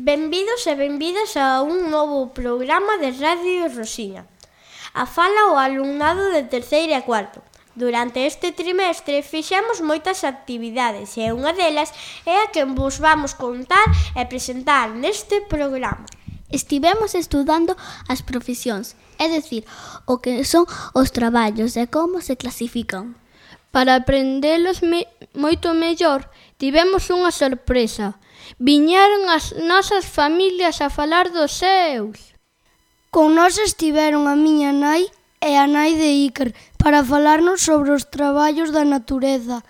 Benvidos e benvidas a un novo programa de Radio Rosiña. A fala o alumnado de terceiro e cuarto. Durante este trimestre fixemos moitas actividades e unha delas é a que vos vamos contar e presentar neste programa. Estivemos estudando as profesións, é dicir, o que son os traballos e como se clasifican. Para aprendelos moito mellor, tivemos unha sorpresa. Viñeron as nosas familias a falar dos seus. Con nós estiveron a miña nai e a nai de Iker para falarnos sobre os traballos da natureza.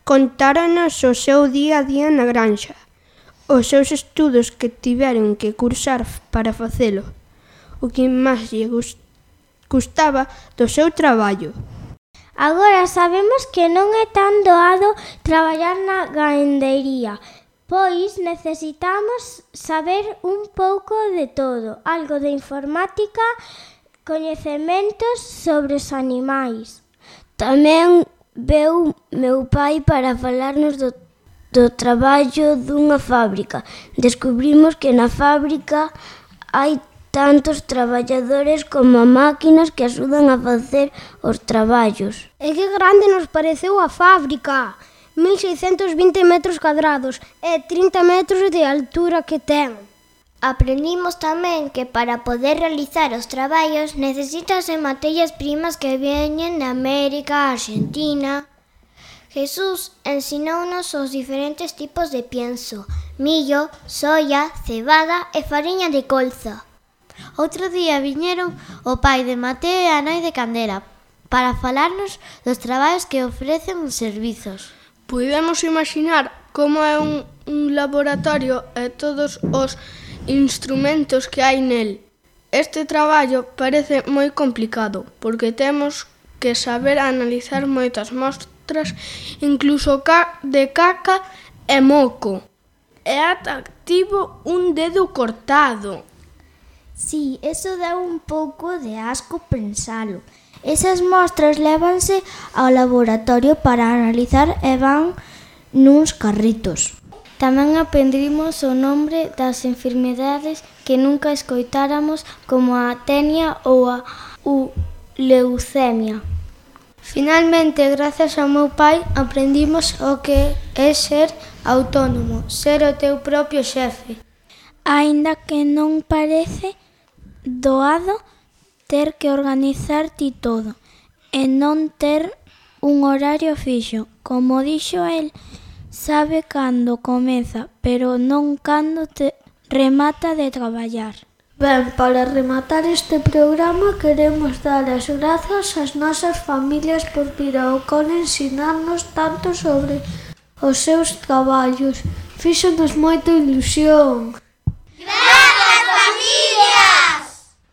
Contáronos o seu día a día na granxa, os seus estudos que tiveron que cursar para facelo, o que máis lle gustaba do seu traballo. Agora sabemos que non é tan doado traballar na gandería, pois necesitamos saber un pouco de todo, algo de informática, coñecementos sobre os animais. Tamén veu meu pai para falarnos do traballo dunha fábrica. Descubrimos que na fábrica hai tantos traballadores como máquinas que axudan a facer os traballos. E que grande nos pareceu a fábrica! 1620 metros cuadrados e 30 metros de altura que ten. Aprendimos tamén que para poder realizar os traballos necesítanse materias primas que veñen de América, Argentina. Jesús ensinounos os diferentes tipos de pienso: millo, soia, cebada e fariña de colza. Outro día viñeron o pai de Mateo e a nai de Candela para falarnos dos traballos que ofrecen os servizos. Puidemos imaginar como é un laboratorio e todos os instrumentos que hai nel. Este traballo parece moi complicado, porque temos que saber analizar moitas mostras, incluso de caca e moco. E ata tivo un dedo cortado. Sí, eso dá un pouco de asco pensalo. Esas mostras lévanse ao laboratorio para analizar e van nuns carritos. Tamén aprendimos o nombre das enfermedades que nunca escoitáramos, como a tenia ou a leucemia. Finalmente, gracias ao meu pai, aprendimos o que é ser autónomo, ser o teu propio xefe. Aínda que non parece doado ter que organizar ti todo e non ter un horario fixo. Como dixo el, sabe cando comeza, pero non cando te remata de traballar. Ben, para rematar este programa queremos dar as grazas ás nosas familias por vir ao cole ensinarnos tanto sobre os seus traballos. Fíxonos moita ilusión.